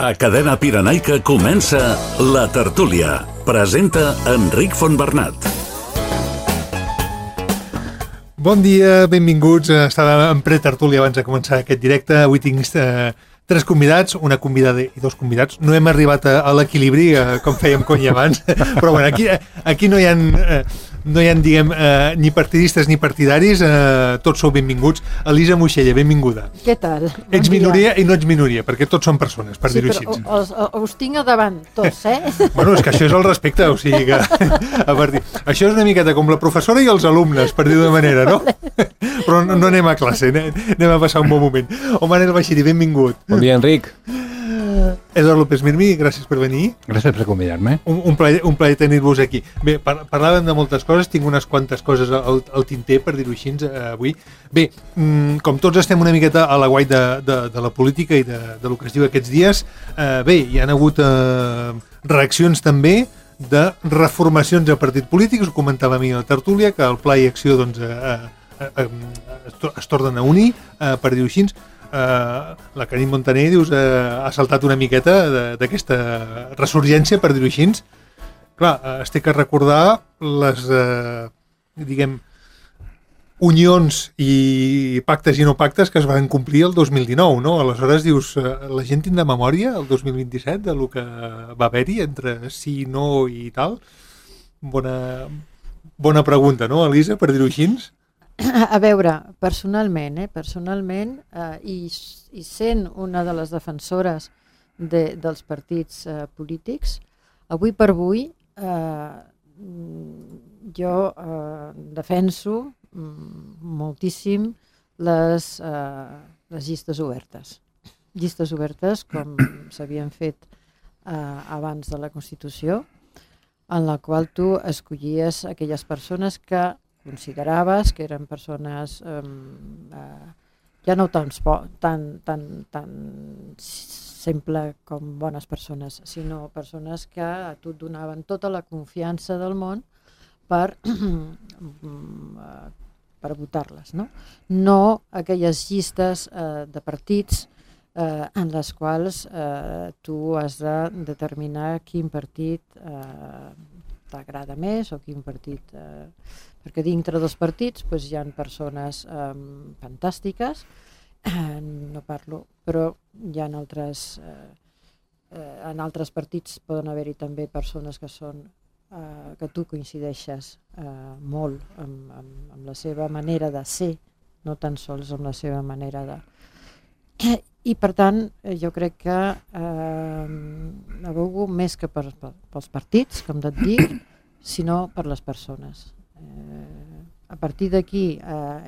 A Cadena Pirenaica comença La Tertúlia. Presenta Enric Fontbernat. Bon dia, benvinguts. Estava en pretertúlia abans de començar aquest directe. Avui tinc tres convidats, una convidada i dos convidats. No hem arribat a l'equilibri, com fèiem cony abans, però bueno, aquí no hi ha diguem, ni partidistes ni partidaris, tots sou benvinguts. Elisa Moixella, benvinguda. Què tal? Ets minoria i no ets minoria, perquè tots són persones, per dir-ho així. Sí, però us tinc a davant, tots, Bueno, és que això és el respecte, o sigui que això és una miqueta com la professora i els alumnes, per dir-ho de manera, no? Però no anem a classe, anem a passar un bon moment. O Manel Baixiri, benvingut. Bon dia, Enric. Eduard López Mirmi, gràcies per venir. Gràcies per convidar-me. Un plaer tenir-vos aquí. Bé, parlàvem de moltes coses, tinc unes quantes coses al tinter, per dir-ho així, avui. Bé, com tots estem una miqueta a la guai de la política i del que es diu aquests dies, bé, hi ha hagut reaccions també de reformacions de partits polítics. Ho comentava a mi a la tertúlia, que el Pla i Acció doncs, es tornen a unir, per dir-ho així. La Carme Montaner ha saltat una miqueta d'aquesta ressurgència, per dir-ho així. Clar, es té que recordar les, diguem, unions i pactes i no pactes que es van complir el 2019, no? Aleshores dius, la gent tindrà memòria el 2027 de lo que va haver-hi entre sí, no i tal? Bona pregunta, no, Elisa, per dir-ho així? A veure, personalment, i sent una de les defensores dels partits polítics, avui per avui jo defenso moltíssim les llistes obertes. Llistes obertes com s'havien fet abans de la Constitució, en la qual tu escollies aquelles persones que consideraves que eren persones ja no tan simple com bones persones, sinó persones que a tu et donaven tota la confiança del món per votar-les, no? No aquelles llistes de partits en les quals tu has de determinar quin partit t'agrada més o quin partit... Perquè dintre dels partits hi ha persones fantàstiques, no parlo, però hi ha altres... En altres partits poden haver-hi també persones que són que tu coincideixes molt amb la seva manera de ser, no tan sols amb la seva manera de... I per tant, jo crec que abogo més que pels partits, com et dic, sinó per les persones. A partir d'aquí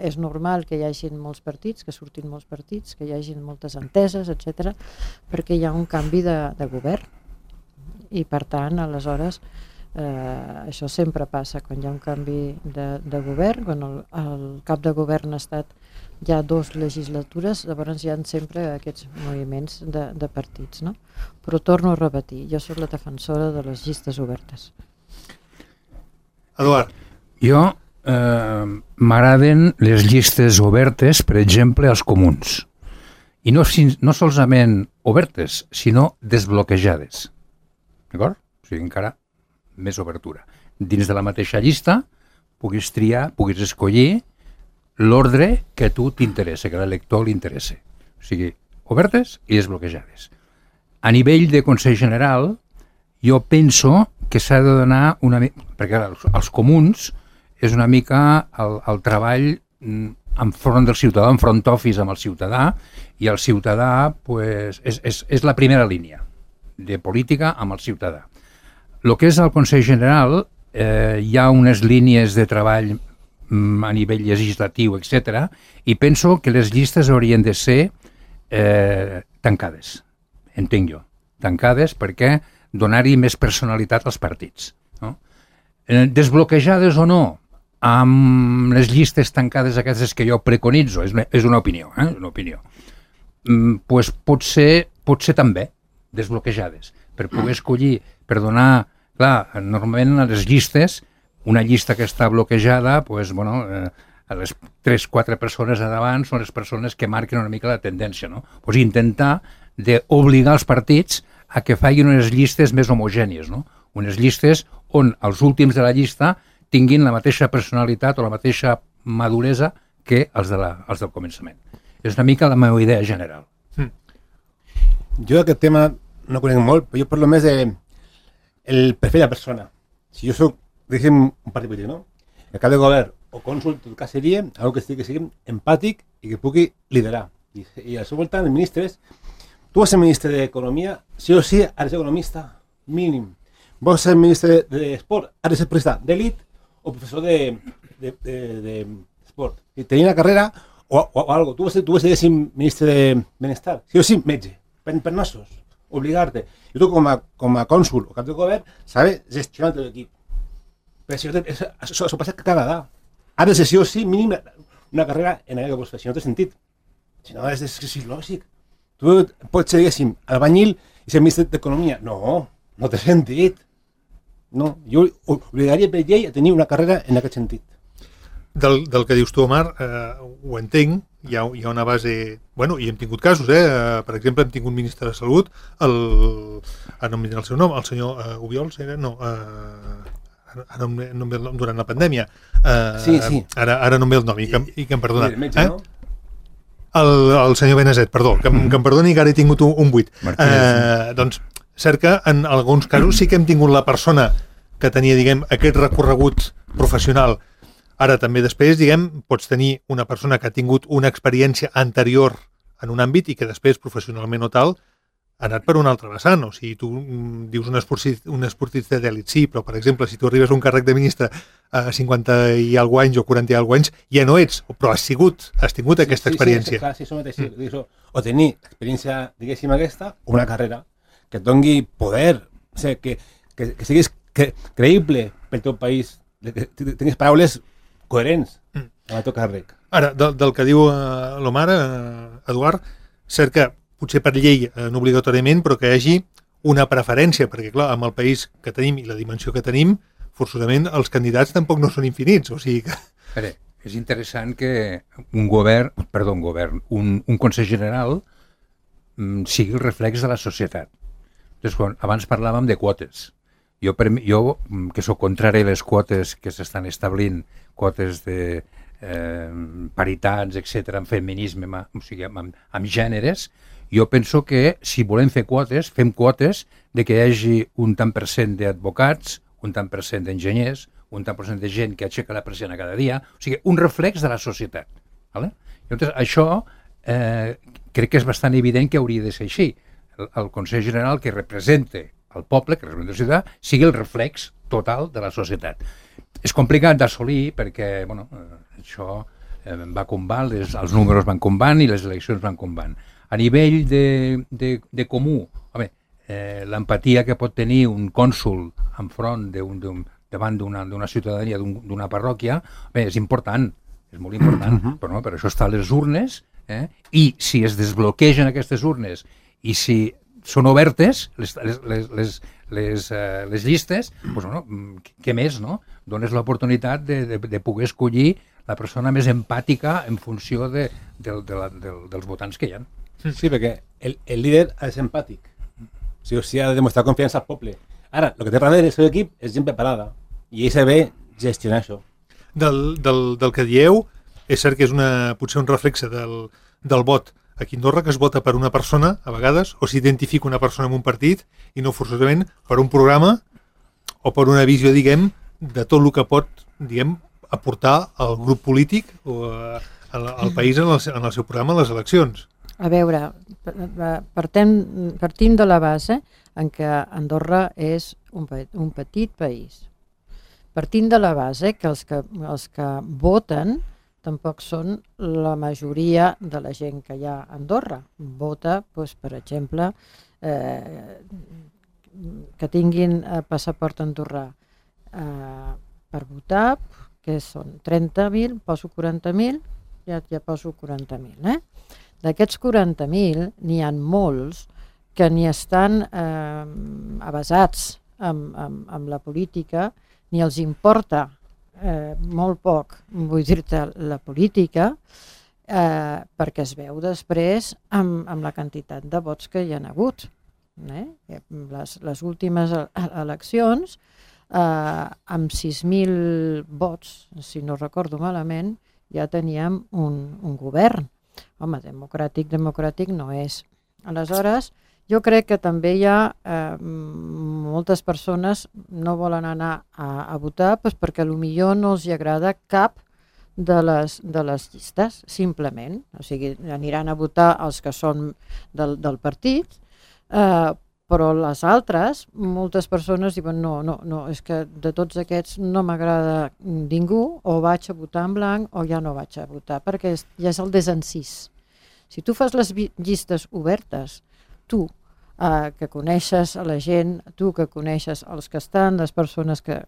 és normal que hi hagin molts partits, que surtin molts partits, que hi hagin moltes enteses, etc, perquè hi ha un canvi de govern. I per tant, aleshores, això sempre passa quan hi ha un canvi de govern, quan el cap de govern ha estat ja 2 legislatures, llavors hi ha sempre aquests moviments de partits, no? Però torno a repetir, jo soc la defensora de les llistes obertes. Eduard. Jo m'agraden les llistes obertes, per exemple, als comuns. I no solament obertes, sinó desbloquejades. D'acord? O sigui, encara més obertura. Dins de la mateixa llista puguis triar, puguis escollir l'ordre que a tu t'interessa, que a l'elector li interessa. O sigui, obertes i desbloquejades. A nivell de Consell General, jo penso que s'ha de donar una mica... Perquè els comuns és una mica el treball enfront del ciutadà, en front office amb el ciutadà, i el ciutadà és la primera línia de política amb el ciutadà. El que és el Consell General, hi ha unes línies de treball a nivell legislatiu, etc. I penso que les llistes haurien de ser tancades, entenc jo. Tancades perquè donar-hi més personalitat als partits. No? Desbloquejades o no, amb les llistes tancades aquestes que jo preconitzo, és una opinió, una opinió. Pues potser també desbloquejades, per poder escollir, per donar... Clar, normalment a les llistes, una llista que està bloquejada, pues, bueno, a les 3-4 persones a davant són les persones que marquen una mica la tendència, no? Pues intentar d'obligar els partits a que facin unes llistes més homogènies, no? Unes llistes on els últims de la llista tinguin la mateixa personalitat o la mateixa maduresa que els del començament. És una mica la meva idea general. Jo aquest tema no conec molt, però jo parlo més el perfil de la persona. Si jo soc, diguem, un partit polític, no? El cap de govern o cònsul, tot cas seria algo que sigui empàtic i que pugui liderar. I al seu voltant, els ministres, tu vas ser ministre d'Economia, sí o sí, has de ser economista, mínim. Vols ser ministre d'Esport, has de ser professor d'elit o professor d'esport. I tenir una carrera o algo. Tu vas ser ministre de Benestar, sí o sí, metge, per nassos, obligar-te. I tu com a cònsul o cap de govern, saber gestionar el teu equip. Però això passa cada vegada. Has de ser sí o sí mínim una carrera en aquella que vols fer, si no té sentit. Si no, és lògic. Tu pots ser, diguéssim, albanyil i ser ministre d'Economia. No té sentit. No, jo obligaria per llei a tenir una carrera en aquest sentit. Del que dius tu, Omar, ho entenc, hi ha una base... Bueno, i hem tingut casos, per exemple, hem tingut un ministre de Salut, no em diré el seu nom, el senyor Obiols, era? No, durant la pandèmia. Sí. Ara no em ve el nom, i que em perdona. El metge, no? El senyor Benazet, perdó, que em perdoni que ara he tingut un buit. Doncs, cert que en alguns casos sí que hem tingut la persona que tenia, diguem, aquest recorregut professional. Ara també després, diguem, pots tenir una persona que ha tingut una experiència anterior en un àmbit i que després, professionalment o tal, ha anat per un altre vessant. O sigui, tu dius un esportista d'èlit, sí, però, per exemple, si tu arribes a un càrrec de ministre a 50 i alguna anys o 40 i alguna anys, ja no ets, però has tingut aquesta experiència. Sí, això mateix. O tenir experiència, diguéssim, aquesta, o una carrera que et doni poder, o sigui, que siguis creïble pel teu país, que tinguis paraules coherents amb el teu càrrec. Ara, del que diu l'Omar, Eduard, cert que potser per llei no obligatòriament, però que hi hagi una preferència, perquè clar, amb el país que tenim i la dimensió que tenim, forçosament els candidats tampoc no són infinits, o sigui que... És interessant que un Consell General sigui el reflex de la societat. Entonces, abans parlàvem de quotes. Jo, que sóc contrari a les quotes que s'estan establint, quotes de paritats, etc., en feminisme, o sigui, amb gèneres, jo penso que si volem fer quotes, fem quotes de que hi hagi un tant per cent d'advocats, un tant per cent d'enginyers, un tant per cent de gent que aixeca la persiana cada dia, o sigui, un reflex de la societat. ¿Vale? Llavors, això crec que és bastant evident que hauria de ser així. El Consell General que representa el poble, que representa la ciutat, sigui el reflex total de la societat. És complicat d'assolir perquè, bueno, això va com va, els números van com van i les eleccions van com van. A nivell de comú, l'empatia que pot tenir un cònsul enfront davant d'una ciutadania, d'una parròquia, és important, és molt important, però per això estan les urnes, i si es desbloquegen aquestes urnes i si són obertes les llistes, doncs, què més, no? Dones l'oportunitat de poder escollir la persona més empàtica en funció dels votants que hi ha. Sí, perquè el líder ha de ser empàtic. O sigui, ha de demostrar confiança al poble. Ara, el que té darrere el seu equip és gent preparada i ell saber gestionar això. Del que dieu, és cert que és potser un reflexe del vot aquí a Andorra, que es vota per una persona, a vegades, o s'identifica una persona en un partit i no forçosament per un programa o per una visió, diguem, de tot el que pot, diguem, aportar al grup polític o al país en el seu programa a les eleccions. A veure, partim de la base en què Andorra és un petit país. Partim de la base que els que voten tampoc són la majoria de la gent que hi ha a Andorra. Vota, doncs, per exemple, que tinguin passaport andorrà per votar, que són 30.000, poso 40.000, ja poso 40.000. D'aquests 40.000 n'hi ha molts que ni estan avasats amb la política, ni els importa molt poc, vull dir-te, la política, perquè es veu després amb la quantitat de vots que hi ha hagut. Les últimes eleccions, amb 6.000 vots, si no recordo malament, ja teníem un govern. Home, democràtic no és. Aleshores, jo crec que també hi ha moltes persones no volen anar a votar perquè potser no els agrada cap de les llistes, simplement. O sigui, aniran a votar els que són del partit, però les altres, moltes persones diuen no, és que de tots aquests no m'agrada ningú, o vaig a votar en blanc o ja no vaig a votar, perquè ja és el desencís. Si tu fas les llistes obertes, tu que coneixes a la gent, tu que coneixes els que estan, les persones que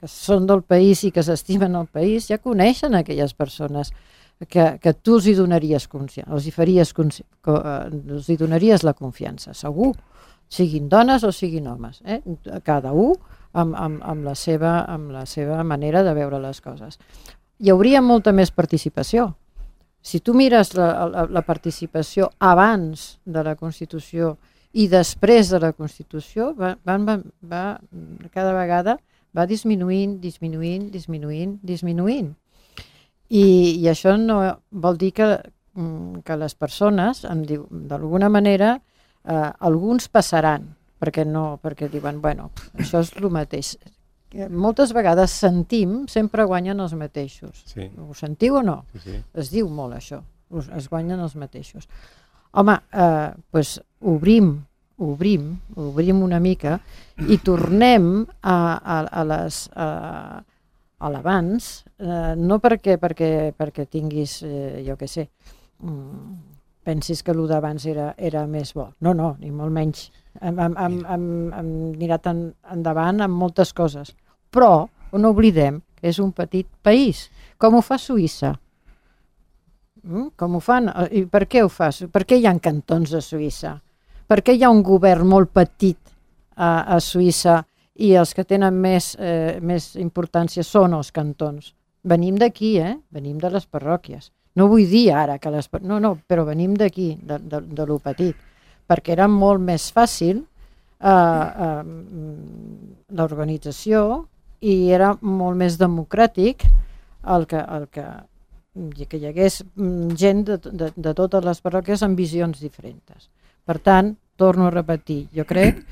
són del país i que s'estimen el país, ja coneixen aquelles persones que tu els hi donaries confiança, els hi donaries la confiança, segur, siguin dones o siguin homes, cada un amb la seva manera de veure les coses. Hi hauria molta més participació. Si tu mires la participació abans de la Constitució i després de la Constitució, cada vegada va disminuint. I això no vol dir que les persones, d'alguna manera, alguns passaran, perquè diuen, bueno, això és el mateix. Moltes vegades sempre guanyen els mateixos. Sí. Ho sentiu o no? Sí. Es diu molt això, es guanyen els mateixos. Home, doncs obrim una mica i tornem a l'abans, no perquè tinguis, jo què sé, pensis que el d'abans era més bo. No, ni molt menys. Hem mirat endavant amb moltes coses. Però no oblidem que és un petit país. Com ho fa Suïssa? Com ho fan? I per què ho fa? Per què hi ha cantons a Suïssa? Per què hi ha un govern molt petit a Suïssa i els que tenen més importància són els cantons? Venim d'aquí, venim de les parròquies. No vull dir ara que no, però venim d'aquí, de lo petit, perquè era molt més fàcil l'organització i era molt més democràtic que hi hagués gent de totes les parròquies amb visions diferents. Per tant, torno a repetir, jo crec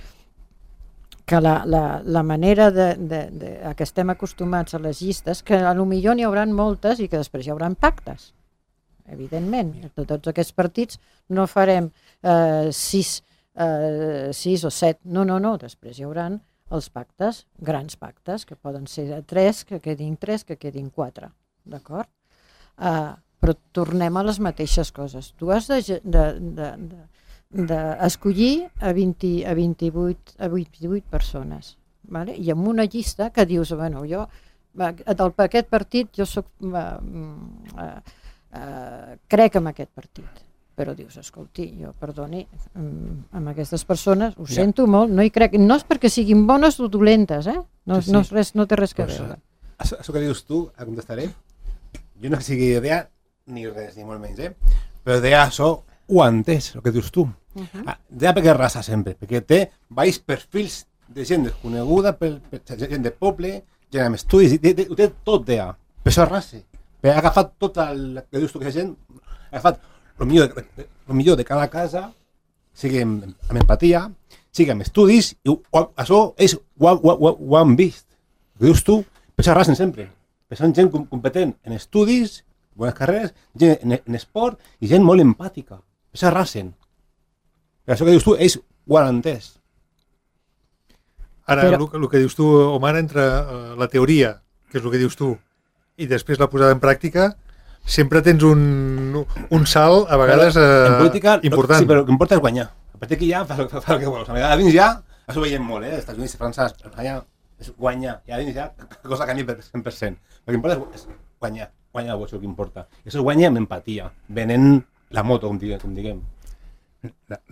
que la manera que estem acostumats a les llistes, que potser n'hi haurà moltes i que després hi haurà pactes, evidentment. De tots aquests partits no farem 6 o 7, no, després hi haurà els pactes, grans pactes, que poden ser 3, que quedin 3, que quedin 4, d'acord? Però tornem a les mateixes coses. Tu has d'escollir a 28 persones, vale? I amb una llista que dius, bueno, jo d'aquest partit jo soc crec en aquest partit, però dius, escolti, jo perdoni, amb aquestes persones ho sento molt, no hi crec, no és perquè siguin bones o dolentes, no té res que veure. Això que dius tu, contestaré, jo no sigui idea ni res, ni molt menys, però deia això ho ha entès, el que dius tu. Deia perquè raça sempre, perquè té baix perfils de gent desconeguda, gent de poble, gent amb estudis, ho té tot, deia, per això raça. Ha agafat tot el que dius tu, que gent ha agafat el millor de cada casa, sigui amb empatia, sigui amb estudis, i això és ho han vist. El que dius tu, per això arrasen sempre. Per això gent competent en estudis, bones carreres, gent en esport i gent molt empàtica. Per això arrasen. Per això que dius tu, ells ho han entès. Ara, el que dius tu, Omar, entre la teoria, que és el que dius tu, i després la posada en pràctica, sempre tens un salt, a vegades, en política, important. Sí, però el que importa és guanyar. A partir d'aquí ja fas el que vols. A dins ja, això ho veiem molt, als Estats Units, França, Espanya, és guanyar. I a dins ja, cosa que canvia per 100%. El que importa és guanyar. Guanyar el que importa. I això es guanya amb empatia, venent la moto, com diguem.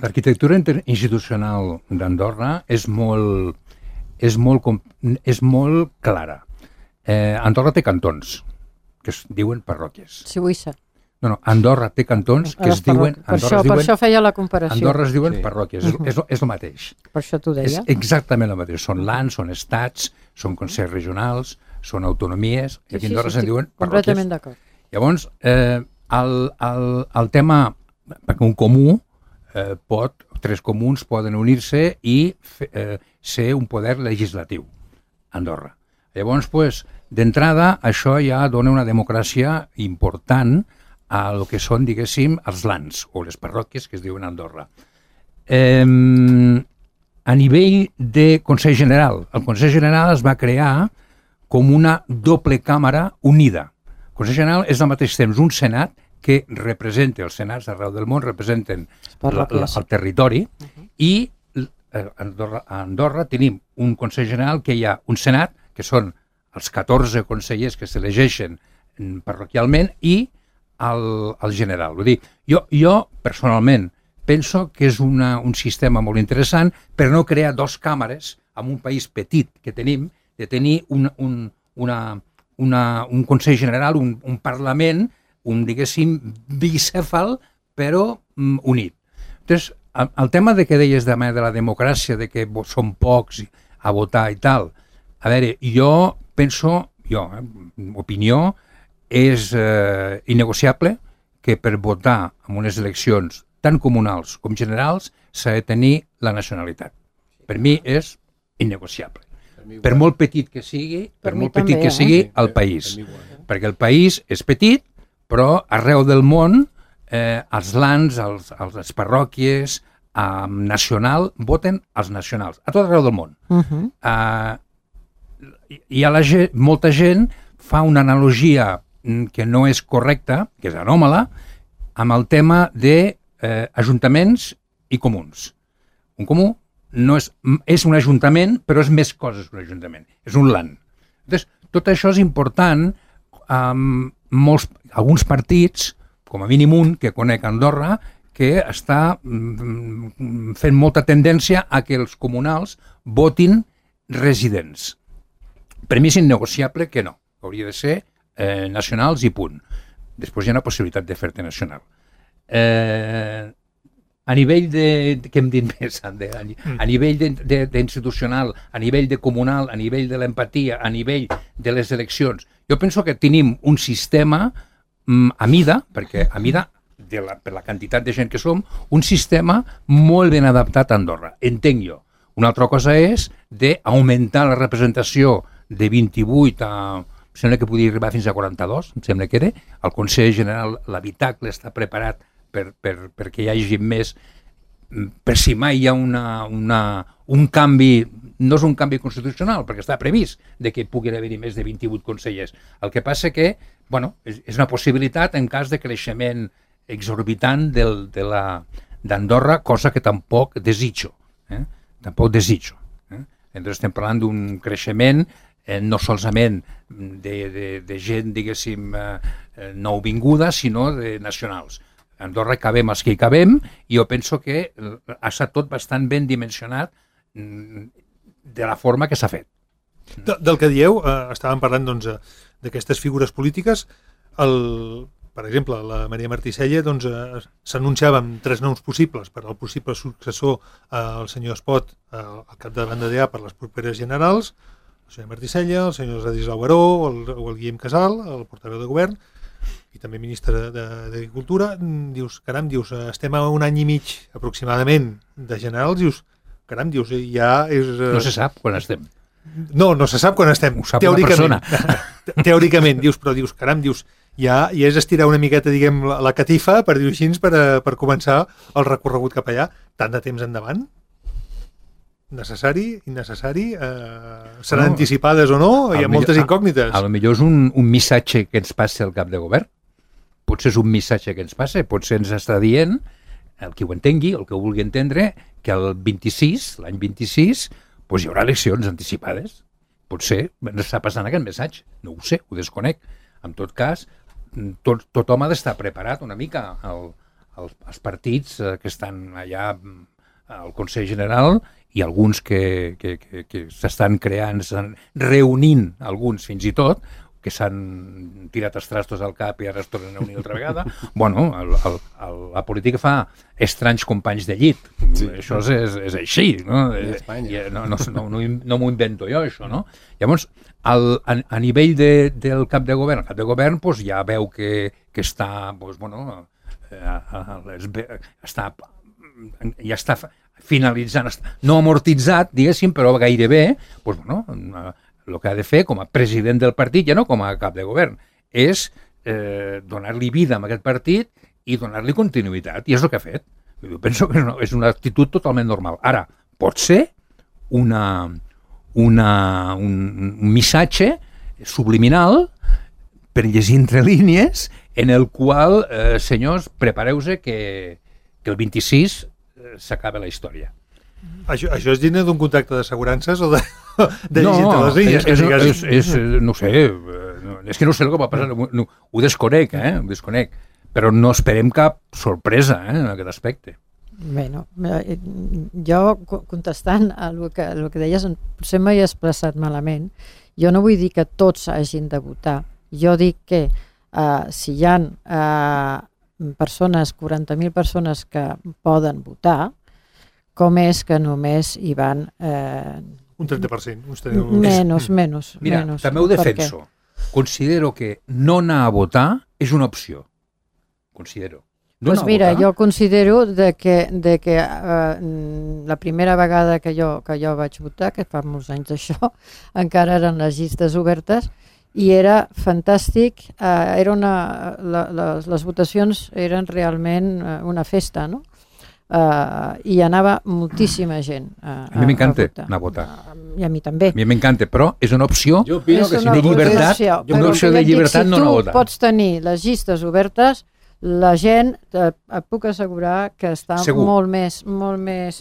L'arquitectura institucional d'Andorra és molt clara. Andorra té cantons, que es diuen parròquies. Suïssa. No, Andorra té cantons que es diuen... Per això feia la comparació. Andorra es diuen parròquies, és el mateix. Per això t'ho deia. És exactament el mateix. Són lands, són estats, són consells regionals, són autonomies, i aquí a Andorra se'n diuen parròquies. Completament d'acord. Llavors, el tema, perquè un comú tres comuns poden unir-se i ser un poder legislatiu a Andorra. Llavors, d'entrada, això ja dona una democràcia important a el que són, diguéssim, els lands, o les parròquies que es diuen a Andorra. A nivell de Consell General, el Consell General es va crear com una doble càmera unida. El Consell General és al mateix temps un senat que representa, els senats d'arreu del món representen el territori, i a Andorra tenim un Consell General que hi ha un senat, que són els 14 consellers que s'elegeixen parroquialment, i el general. Vull dir, jo personalment penso que és un sistema molt interessant per no crear dos càmeres en un país petit que tenim, de tenir un Consell General, un Parlament, diguéssim, bicèfal, però unit. Doncs, el tema de que deies de la democràcia, de que són pocs a votar i tal, a veure, jo penso, opinió, és innegociable que per votar en unes eleccions tant comunals com generals s'ha de tenir la nacionalitat. Per mi és innegociable. Per molt petit que sigui, el país. Perquè el país és petit, però arreu del món els lands, les parròquies nacional voten els nacionals, a tot arreu del món. Molta gent fa una analogia que no és correcta, que és anòmala, amb el tema d'ajuntaments i comuns. Un comú és un ajuntament, però és més coses que un ajuntament, és un land. Tot això és important. Alguns partits, com a mínim un que conec a Andorra, que està fent molta tendència a que els comunals votin residents. Per mi és innegociable que no, hauria de ser nacionals i punt. Després hi ha una possibilitat de fer-te nacional. A nivell què hem dit més, Ander? A nivell d'institucional, a nivell de comunal, a nivell de l'empatia, a nivell de les eleccions, jo penso que tenim un sistema a mida, perquè a mida, per la quantitat de gent que som, un sistema molt ben adaptat a Andorra, entenc jo. Una altra cosa és d'augmentar la representació de 28 a... Em sembla que podria arribar fins a 42, em sembla que era. El Consell General, l'habitacle està preparat perquè hi hagi més, per si mai hi ha un canvi, no és un canvi constitucional, perquè està previst de que puguin haver-hi més de 28 consellers. El que passa que, és una possibilitat en cas de creixement exorbitant d'Andorra, cosa que tampoc desitjo. Tampoc desitjo. Entonces estem parlant d'un creixement no solament de gent, diguéssim, nouvinguda, sinó de nacionals. A Andorra cabem els que hi cabem, i jo penso que ha estat tot bastant ben dimensionat de la forma que s'ha fet. Del que dieu, estàvem parlant d'aquestes figures polítiques. Per exemple, la Maria Martí-Sella s'anunciaven 3 noms possibles per al possible successor al senyor Espot al capdavant de DA per les properes generals, el senyor Martí-Sella, el senyor Ladislau Baró o el Guillem Casal, el portaveu de govern, i també ministre d'Agricultura. Dius, estem a un any i mig aproximadament de generals, ja és... No se sap quan estem. No se sap quan estem, teòricament. Teòricament, ja és estirar una miqueta, diguem, la catifa, per dir-ho així, per començar el recorregut cap allà. Tant de temps endavant? Necessari? Innecessari? Seran anticipades o no? Hi ha moltes incògnites. A lo millor és un missatge que ens passa al cap de govern. Potser és un missatge que ens passa, potser ens està dient, el que ho entengui, el que ho vulgui entendre, que l'any 26, hi haurà eleccions anticipades. Potser ens està passant aquest missatge. No ho sé, ho desconec. En tot cas, tothom ha d'estar preparat una mica. Els partits que estan allà al Consell General i alguns que s'estan creant, s'estan reunint, alguns fins i tot, que s'han tirat els trastos al cap i ara es tornen a unir altra vegada. Bueno, la política fa estranys companys de llit. Sí. Això és així, no? No m'ho invento jo, això, no? Llavors, a nivell del cap de govern, el cap de govern pues, ja veu que està, pues, bueno, ja està finalitzant, no amortitzat, diguéssim, però gairebé, pues, bueno, el que ha de fer com a president del partit, ja no com a cap de govern, és donar-li vida a aquest partit i donar-li continuïtat, i és el que ha fet. Jo penso que és una actitud totalment normal. Ara, pot ser un missatge subliminal per llegir entre línies en el qual, senyors, prepareu-se que el 26 s'acaba la història. Això és digne d'un contracte d'assegurances o de llegir entre les línies? No sé, és que no sé el que va passar, ho desconec, ho desconec, però no esperem cap sorpresa en aquest aspecte. Bueno, jo contestant a el que deies, potser m'he expressat malament. Jo no vull dir que tots hagin de votar. Jo dic que si hi ha persones, 40.000 persones que poden votar, com és que només hi van... Un 30%. Menys. Mira, també ho defenso. Considero que no anar a votar és una opció. Considero. Doncs mira, jo considero que la primera vegada que jo vaig votar, que fa molts anys d'això, encara eren les llistes obertes, i era fantàstic, les votacions eren realment una festa, no? I anava moltíssima gent a m'encanta anar a votar. I a mi també. A mi m'encanta, però és una opció de llibertat, una opció de llibertat no anar a votar. Si tu pots tenir les llistes obertes, la gent, et puc assegurar que està molt més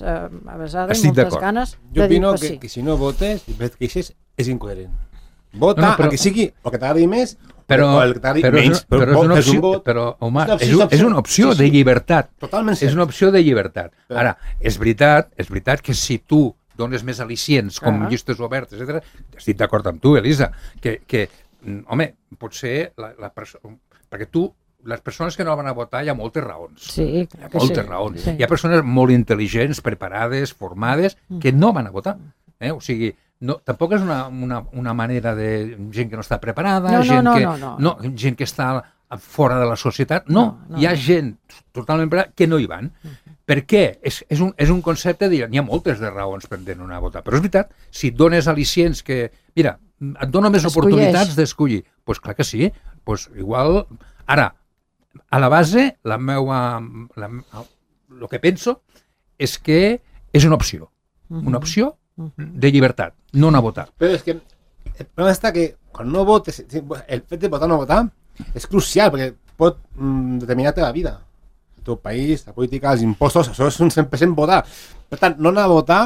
avesada i moltes ganes de dir que sí. Jo opino que si no votes, et queixes, és incoherent. Vota a que sigui o que t'agradi més o el que t'agradi menys. Però, home, és una opció de llibertat. Totalment cert. És una opció de llibertat. Ara, és veritat que si tu dones més al·licients com llistes obertes, etc., estic d'acord amb tu, Elisa, que home, potser perquè tu les persones que no van a votar hi ha moltes raons. Sí, hi ha moltes raons. Sí. Hi ha persones molt intel·ligents, preparades, formades, que no van a votar. O sigui, tampoc és una manera de gent que no està preparada, gent que està fora de la societat. No, hi ha gent totalment preparada que no hi van. Per què? És un concepte de... N'hi ha moltes de raons per no anar a votar. Però és veritat, si et dones al·licients que... Mira, et dona més oportunitats d'escollir. Doncs clar que sí. Doncs igual... Ara, a la base, el que penso és que és una opció de llibertat, no anar a votar. Però és que el problema està que quan no votes, el fet de votar o no votar és crucial perquè pot determinar la vida. El teu país, la política, els impostos, això és un 100% votar. Per tant, no anar a votar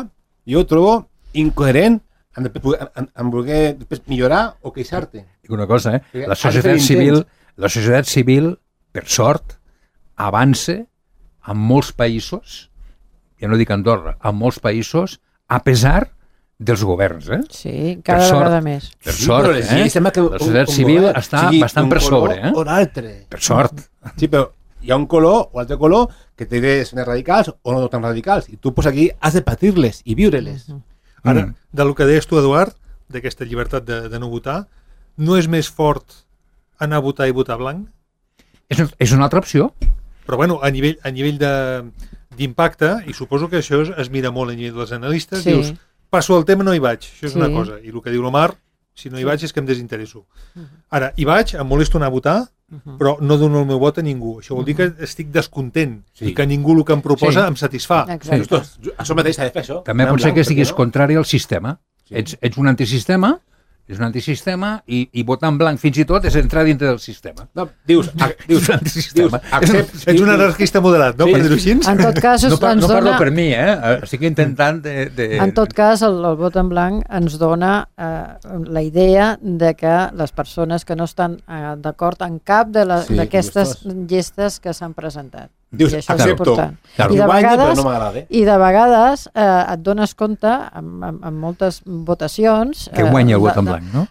jo ho trobo incoherent en voler millorar o queixar-te. Dic una cosa, la societat civil, per sort, avança en molts països, ja no dic Andorra, en molts països, a pesar dels governs. Sí, cada vegada més. Per sort, la societat civil està bastant per sobre. O l'altre. Per sort. Sí, però hi ha un color o altre color que té idees més radicals o no tan radicals, i tu pues aquí has de patir-les i viure-les. Ara, del que deies tu, Eduard, d'aquesta llibertat de no votar, no és més fort anar a votar i votar blanc? És una altra opció. Però bueno, a nivell d'impacte, i suposo que això es mira molt a nivell dels analistes, dius, passo el tema, no hi vaig, això és una cosa, i el que diu l'Omar, si no hi vaig és que em desinteresso. Ara, hi vaig, em molesto anar a votar, però no dono el meu vot a ningú. Això vol dir que estic descontent i que ningú el que em proposa em satisfà. Això mateix s'ha de fer, això. També pot ser que estiguis contrari al sistema. Ets un antisistema, i votar en blanc fins i tot és entrar dintre del sistema. No, dius ets un anarquista moderat, no? Per dir-ho així? En tot cas, no parlo per mi, estic intentant En tot cas, el vot en blanc ens dona la idea de que les persones que no estan d'acord en cap d'aquestes llistes que s'han presentat. Dius, I això és accepto. important. Claro. I de Guanya, però vegades, no m'agrada. i de vegades et dones compte, amb moltes votacions... Que guanya el vot en blanc, no?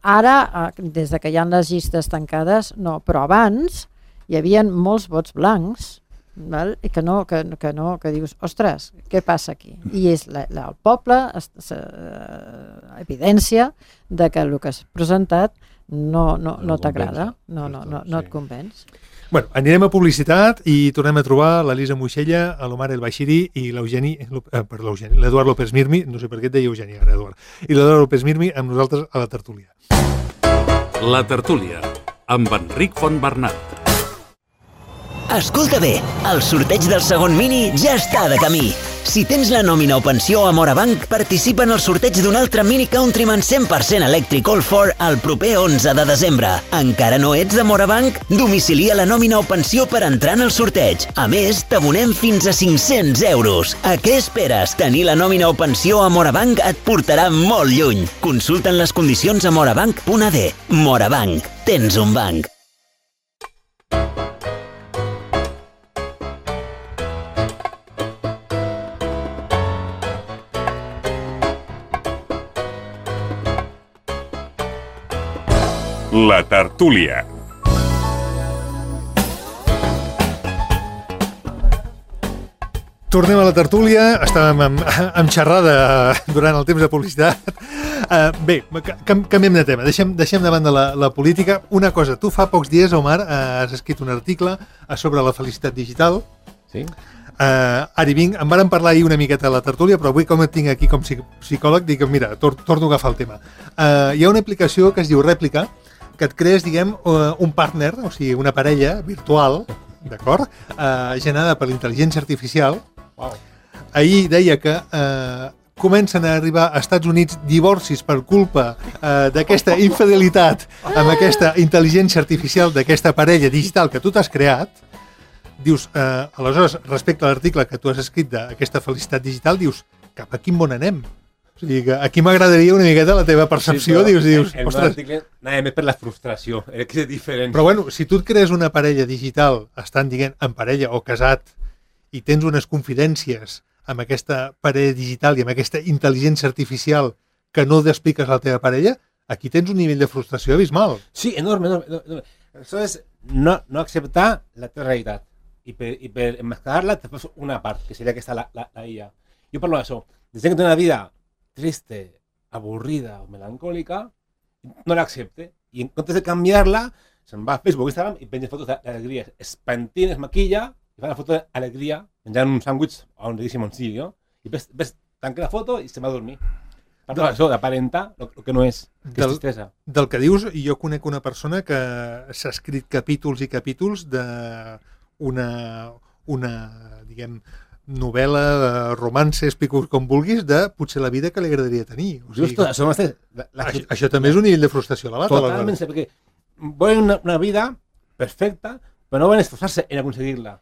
Ara, des de que hi ha les llistes tancades, no, però abans hi havia molts vots blancs, val? I que dius, ostres, què passa aquí? I és el poble evidència de que el que has presentat no t'agrada, no et convenç. Bueno, anirem a publicitat i tornem a trobar l'Elisa Moixella, l'Omar El Bashiri i l'Eduard López Mirmi, no sé per què et deia Eugeni ara, Eduard, i l'Eduard López Mirmi amb nosaltres a la tertúlia. La tertúlia, amb Enric Fontbernat. Escolta bé, el sorteig del segon Mini ja està de camí. Si tens la nòmina o pensió a Morabanc, participa en el sorteig d'un altre Mini Countryman 100% elèctric All4 el proper 11 de desembre. Encara no ets de Morabanc? Domicilia la nòmina o pensió per entrar en el sorteig. A més, t'abonem fins a 500 euros. A què esperes? Tenir la nòmina o pensió a Morabanc et portarà molt lluny. Consulta'n les condicions a morabanc.ad. Morabanc. Tens un banc. La tertúlia. Tornem a la tertúlia, estàvem amb xerrada durant el temps de publicitat. Bé, canviem de tema, deixem de banda la política. Una cosa, tu fa pocs dies, Omar, has escrit un article sobre la felicitat digital. Sí? Ara hi vinc, en vàrem parlar ahir una miqueta a la tertúlia, però avui com et tinc aquí com psicòleg, dic, mira, torno a agafar el tema. Hi ha una aplicació que es diu Rèplica, que et crees, diguem, un partner, o sigui, una parella virtual, d'acord? Generada per l'intel·ligència artificial. Wow. Ahir deia que comencen a arribar a Estats Units divorcis per culpa d'aquesta infidelitat amb aquesta intel·ligència artificial d'aquesta parella digital que tu t'has creat. Dius, aleshores, respecte a l'article que tu has escrit d'aquesta felicitat digital, dius, cap a quin món anem? O sigui, que aquí m'agradaria una miqueta la teva percepció, Sí, dius, el meu ostres... article anava més per la frustració, que és diferent. Però bueno, si tu et crees una parella digital, estan dient en parella o casat, i tens unes confidències amb aquesta parella digital i amb aquesta intel·ligència artificial que no t'expliques a la teva parella, aquí tens un nivell de frustració abismal. Sí, enorme. Això és no acceptar la teva realitat. I per enmascarar-la te fas una part, que seria aquesta la IA. Jo parlo d'això. Des que té una vida triste, avorrida o melancòlica, no l'accepte. I en comptes de canviar-la, se'n va a Facebook o Instagram i penja fotos d'alegria. Es pentina, es maquilla i fa una foto d'alegria menjant un sàndwich on li deixi sigui, no? I ves tanca la foto i se'n va a dormir. Parlo d'això, d'aparentar el que no és, que és tristesa. Del que dius, jo conec una persona que s'ha escrit capítols i capítols una diguem, novel·la, romance, explico com vulguis, de potser la vida que li agradaria tenir. O sigui, això també és un nivell de frustració elevat. Totalment, perquè volen una vida perfecta, però no volen esforçar-se en aconseguir-la.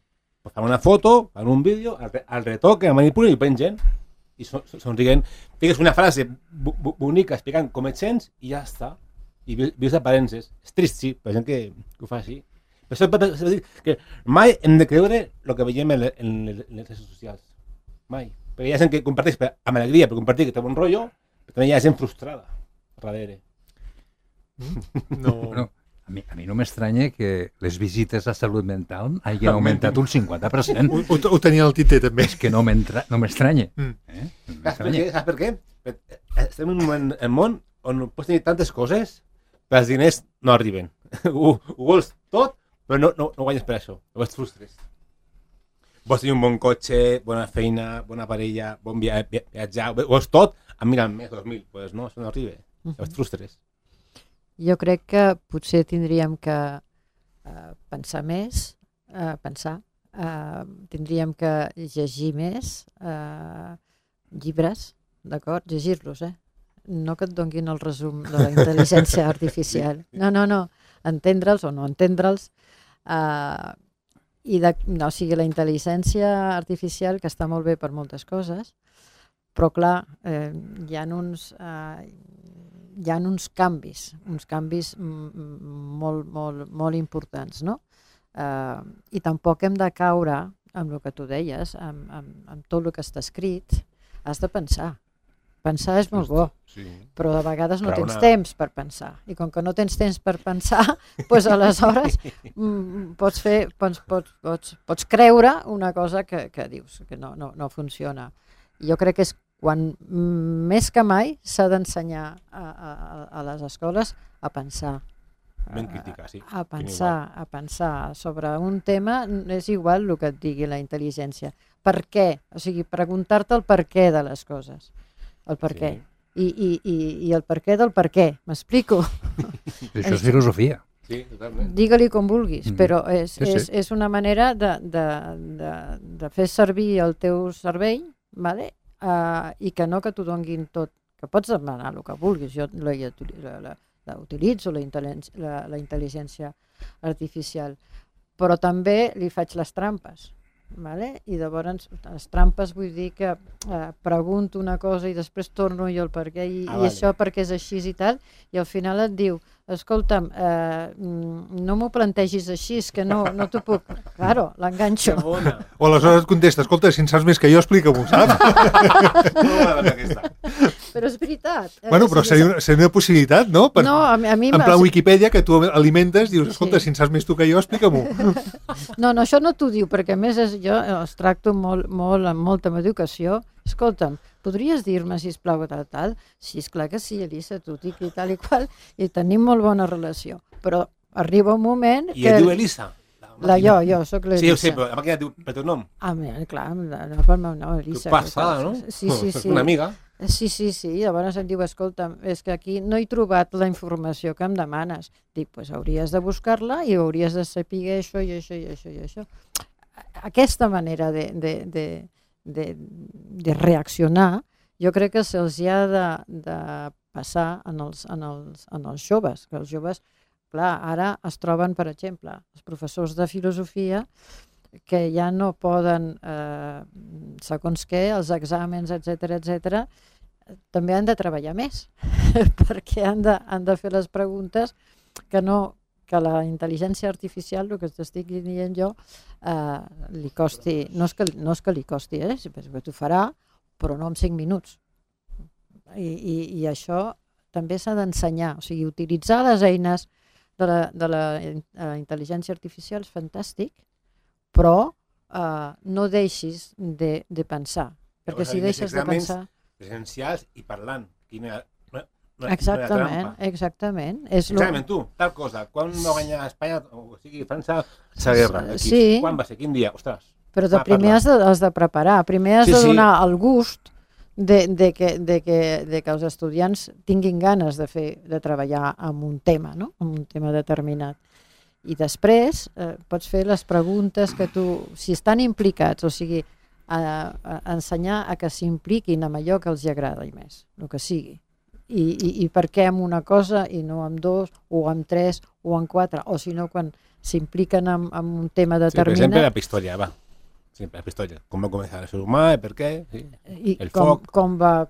Pues fan una foto, fan un vídeo, el retoquen, el manipulen i ho pengen, i somrient. Fiques una frase bonica explicant com et sents i ja està. I vius d'aparences. És trist, sí, per gent que ho fa així. Per això per dir que mai hem de creure el que veiem en les xarxes socials. Mai. Perquè hi ha gent que comparteix amb alegria per compartir que té bon rotllo, però també hi ha gent frustrada darrere. No. Bueno, a mi no m'estranya que les visites a salut mental hagin augmentat un 50%. Ho tenia el Tite, també. És que no m'estranya. Saps per què? Estem en un món on pots tenir tantes coses, però els diners no arriben. Ho vols tot, però no guanyes per això. Llavors et frustres. Vols tenir un bon cotxe, bona feina, bona parella, bon viatjar, vols tot amb 1.000 al mes, 2.000. Doncs no, això no arriba. Llavors et frustres. Jo crec que potser tindríem que pensar més, tindríem que llegir més llibres, d'acord? Llegir-los, no que et donguin el resum de la intel·ligència artificial. No, entendre'ls o no entendre'ls. O sigui, la intel·ligència artificial, que està molt bé per moltes coses, però clar, hi ha uns canvis molt importants, no? I tampoc hem de caure amb el que tu deies, amb tot el que està escrit. Has de pensar. Pensar és molt bo, però de vegades no tens temps per pensar. I com que no tens temps per pensar, doncs aleshores pots creure una cosa que dius que no funciona. Jo crec que és quan més que mai s'ha d'ensenyar a les escoles a pensar. Ben criticar, sí. A pensar sobre un tema, és igual el que et digui la intel·ligència. Per què? O sigui, preguntar-te el per què de les coses. El per què. I el per què del per què. M'explico? Això és filosofia. Sí, totalment. Digue-li com vulguis, però és una manera de fer servir el teu cervell, vale? I que no que t'ho donguin tot. Que pots demanar el que vulguis. Jo utilitzo la intel·ligència artificial, però també li faig les trampes. Vale? I llavors les trampes vull dir que pregunto una cosa i després torno jo el per què i això perquè és així i tal, i al final et diu, escolta'm, no m'ho plantegis així, és que no t'ho puc. Claro, l'enganxo. O aleshores et contesta, escolta, si en saps més que jo, explica-m'ho, saps? Però és veritat. Bueno, però seria una possibilitat, no? No, a mi... En plan Wikipedia, que tu alimentes, dius, escolta, si en saps més tu que jo, explica-m'ho. No, això no t'ho diu, perquè a més jo els tracto molt amb molta educació. Escolta'm, podries dir-me, sisplau, tal? Sí, esclar que sí, Elisa, tu dic i tal i qual, i tenim molt bona relació. Però arriba un moment que... I et diu Elisa? Jo soc l'Elisa. Sí, ho sé, però la màquina et diu per teu nom. Clar, no pel meu nom, Elisa. Que passada, no? Sí. Una amiga. Sí, llavors em diu, escolta, és que aquí no he trobat la informació que em demanes. Dic, doncs hauries de buscar-la i hauries de saber això i això i això i això. Aquesta manera de reaccionar, jo crec que se'ls ha de passar en els joves, que els joves, clar, ara es troben, per exemple, els professors de filosofia que ja no poden, segons què, els exàmens, etc, també han de treballar més, perquè han de fer les preguntes que la intel·ligència artificial, el que t'estic dient jo, li costi, no és que li costi, perquè t'ho farà, però no en 5 minuts. I això també s'ha d'ensenyar, o sigui, utilitzar les eines de la intel·ligència artificial és fantàstic, però no deixis de pensar, perquè si deixes de pensar... Presencials i parlant. Exactament. Exactament, tu, tal cosa. Quan va guanyar Espanya, o sigui, França, la guerra? Sí. Quan va ser? Quin dia? Ostres. Però primer has de preparar, primer has de donar el gust de que els estudiants tinguin ganes de treballar en un tema, no? En un tema determinat. I després pots fer les preguntes que tu, si estan implicats, o sigui, ensenyar a que s'impliquin amb allò que els agrada i més, el que sigui. I per què amb una cosa i no amb 2, o amb 3, o amb 4, o si no quan s'impliquen en un tema determinat. Sí, per exemple, la història, va. Sí, la història. Com va començar el ser humà, per què, sí. El foc. Com va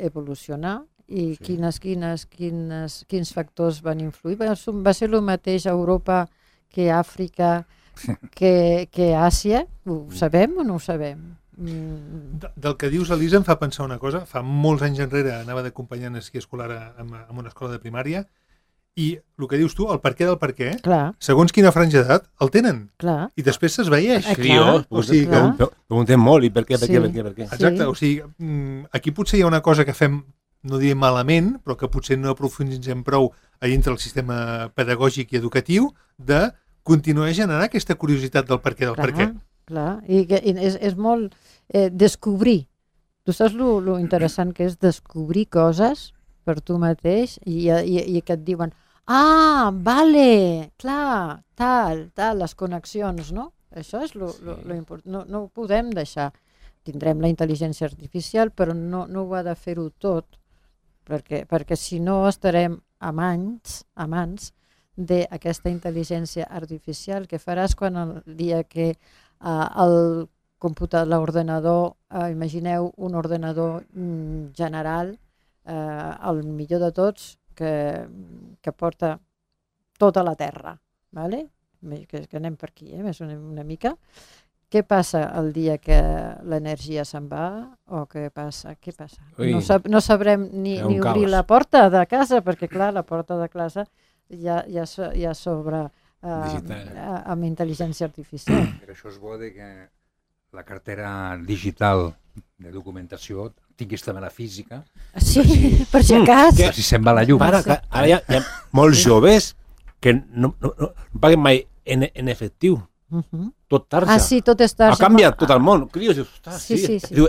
evolucionar i quins factors van influir. Va ser el mateix a Europa que a Àfrica, que a Àsia. Ho sabem o no ho sabem? Del que dius, Elisa, em fa pensar una cosa. Fa molts anys enrere anava d'acompanyant esquí escolar en una escola de primària i el que dius tu, el per què del per què, segons quina franja d'edat, el tenen. Clar. I després s'esveïeix. O sigui, preguntem molt i per què. Exacte, o sigui, aquí potser hi ha una cosa que fem, no diré malament, però que potser no aprofunditzem prou a dintre el sistema pedagògic i educatiu, de continuar generant aquesta curiositat del per què del per què. Clar, i és molt descobrir. Tu saps lo interessant que és descobrir coses per tu mateix i que et diuen vale, clar, tal, les connexions, no? Això és lo important. No ho podem deixar. Tindrem la intel·ligència artificial, però no ho ha de fer-ho tot, perquè si no estarem amants d'aquesta intel·ligència artificial que faràs quan el dia que el l'ordenador, imagineu un ordenador general, el millor de tots, que porta tota la Terra, ¿vale? que anem per aquí, més una mica. Què passa el dia que l'energia se'n va? O què passa? Ui, No sabrem ni un obrir caos. la porta de casa, perquè clar, la porta de casa ja s'obre Digital. amb intel·ligència artificial. Per això és bo de que la cartera digital de documentació tinguis també la física, Sí, per si acas. per si se'n va la llum. Ara, ara hi ha molts joves que no paguen mai en efectiu. Tot tarja. Ah, sí, tot és tarja. Ha canviat tot el món. Crios, dius, ostres, Sí, sí, sí. Diu,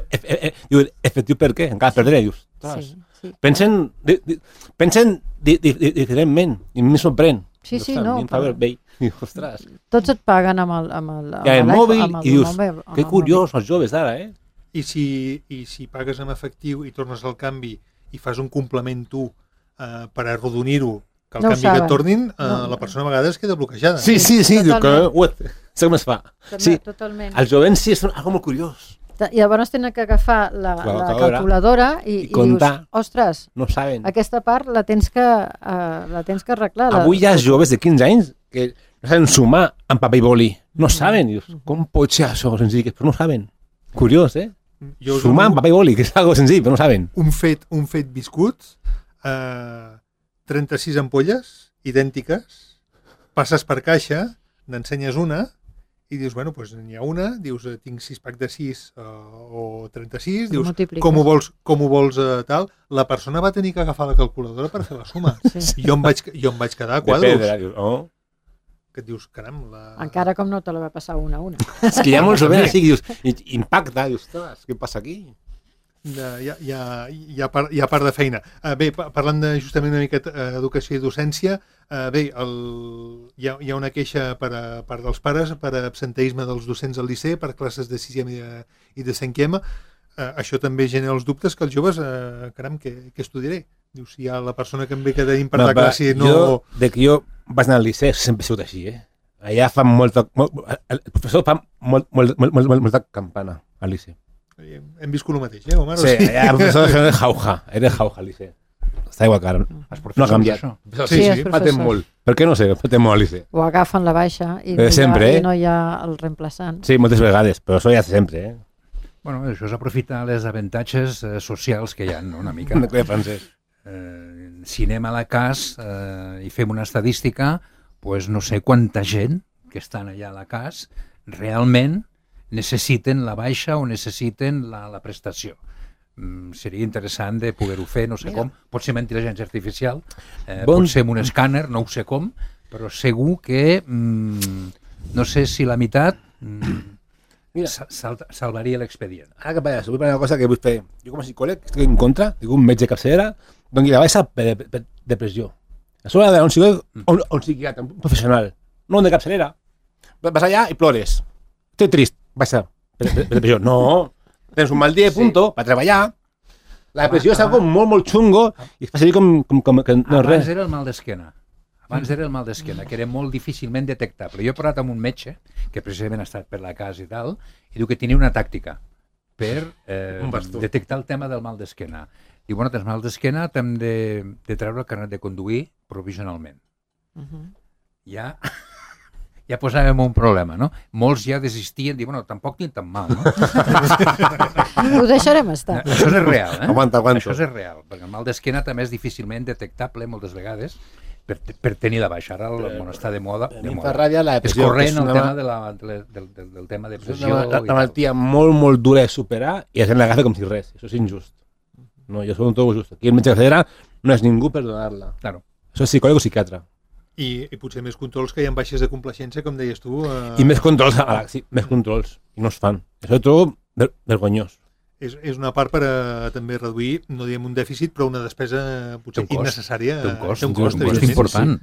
efectiu per què? Encara perdré, dius, ostres. Sí. Pensen diferentment i em sorprèn. Sí, sí, Ostres, no, a mi em fa però- vell. Dius, ostres. Tots et paguen amb el Hi ha el mòbil amb i dius, mòbil, amb que el curiós els joves d'ara, eh? I si pagues amb efectiu i tornes al canvi i fas un complement tu per arrodonir-ho, que el No ho canvi que et saben. tornin, No. la persona a vegades queda bloquejada. Sí, diu que... Totalment. Sé com es fa. També, Sí, totalment. els jovents sí, és algo molt curiós. I llavors tenen que agafar la calculadora calculadora i dius, comptar. ostres, No saben. aquesta part la tens que arreglar. Avui hi ha joves de 15 anys que no saben sumar amb paper i boli. No saben. Dius, com pot ser això senzill? Però no saben. Curiós, eh? Jo us Sumar amb dono paper i boli, que és algo senzill, però no saben. un fet viscut, 36 ampolles idèntiques, passes per caixa, n'ensenyes una i dius, bueno, doncs n'hi ha una, dius, tinc 6 packs de 6 o 36, dius, Multipliques. com ho vols tal? La persona va tenir que agafar la calculadora per fer la suma. Sí. Jo em vaig quedar a De quadros. pedra, dius, oh. Que et dius, caram, Encara com no te la va passar una a una. És que hi ha molts joves així, dius, impacta, dius, ostres, què passa aquí? hi ha part de feina. Bé, parlant justament una mica d'educació i docència, bé, hi ha una queixa per part dels pares per absenteisme dels docents al liceu, per classes de 6è i de 5è. Això també genera els dubtes que els joves, caram, què estudiaré? Dius, si hi ha la persona que em ve cada any per la classe no... De que jo vaig anar al liceu sempre ha sigut així, eh? Allà fan el professor fa molta campana al liceu. Hem viscut el mateix, Omar? Sí, allà el professor era jauja al liceu. Està igual que ara. No ha canviat. Sí, els Patem professors. molt. Per què no sé? Patem molt al liceu. O agafen la baixa i Sempre, no hi ha el reemplaçant. Sí, moltes vegades, però això ja sempre, eh? Bueno, això és aprofitar les avantatges socials que hi ha, no? Una mica. De francès. Si anem a la CAS i fem una estadística, pues no sé quanta gent que estan allà a la CAS realment necessiten la baixa o necessiten la prestació. Seria interessant de poder-ho fer, no sé com, pot ser amb intel·ligència artificial, pot ser amb un escàner, no ho sé com, però segur que no sé si la meitat salvaria l'expedient. Ara que parles, vull parlar una cosa que vull fer. Jo com a psicòleg estic en contra, dic un metge de capçalera, doni la baixa per depressió. Això ha d'anar un psicòleg o un psiquiatre, un professional, no un de capçalera. Vas allà i plores. Estic trist, baixa per depressió. No, tens un mal dia, punto, per treballar. La depressió és algo molt xungo i es fa servir com que no és res. Abans era el mal d'esquena. Abans era el mal d'esquena, que era molt difícilment detectable. Jo he parlat amb un metge, que precisament ha estat per la casa i tal, i diu que tenia una tàctica per detectar el tema del mal d'esquena. I bueno, tens mal d'esquena, t'hem de treure el carnet de conduir provisionalment. Ja posàvem un problema, no? Molts ja desistien, diuen, bueno, tampoc tinc tan mal, no? Ho deixarem estar. Això és real, eh? Aguanta. Això és real, perquè el mal d'esquena també és difícilment detectable moltes vegades per tenir la baixa. Ara bueno, està de moda. A mi em fa ràbia la És depressió. corrent el tema del tema de És pressió. una malaltia molt dura de superar i la gent l'agafa com si res. Això és injust. No, jo soc un tot just. Aquí el metge de capçalera no és ningú per donar-la. Claro. Això és psicòleg o psiquiatre. I potser més controls que hi ha baixes de complacència, com deies tu. I més controls, sí, més controls. I no es fan. Això ho trobo vergonyós. És una part per també reduir, no diem un dèficit, però una despesa potser innecessària. Té un cost, evidentment. important.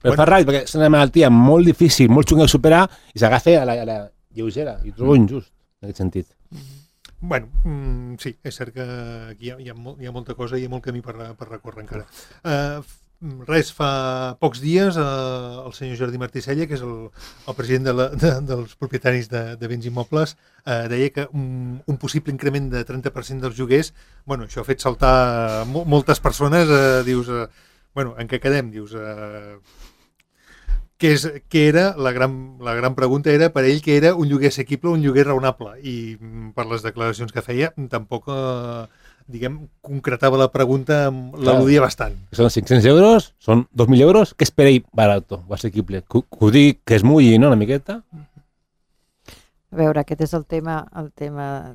Però fa ràbia, perquè és una malaltia molt difícil, molt xunga de superar, i s'agafa a la lleugera. I ho trobo injust, en aquest sentit. Bueno, sí, és cert que aquí hi ha molta cosa i hi ha molt camí per recórrer encara. Res, fa pocs dies el senyor Jordi Martí-Sella, que és el president dels propietaris de béns immobles, deia que un possible increment de 30% dels lloguers, bueno, això ha fet saltar moltes persones, dius, bueno, en què quedem? Dius, que era, la gran pregunta era per ell que era un lloguer assequible o un lloguer raonable, i per les declaracions que feia tampoc, concretava la pregunta, l'al·ludia bastant. Són 500 euros, són 2.000 euros, què és per ell barato o assequible? Que ho digui, que es mulli, no?, una miqueta? A veure, aquest és el tema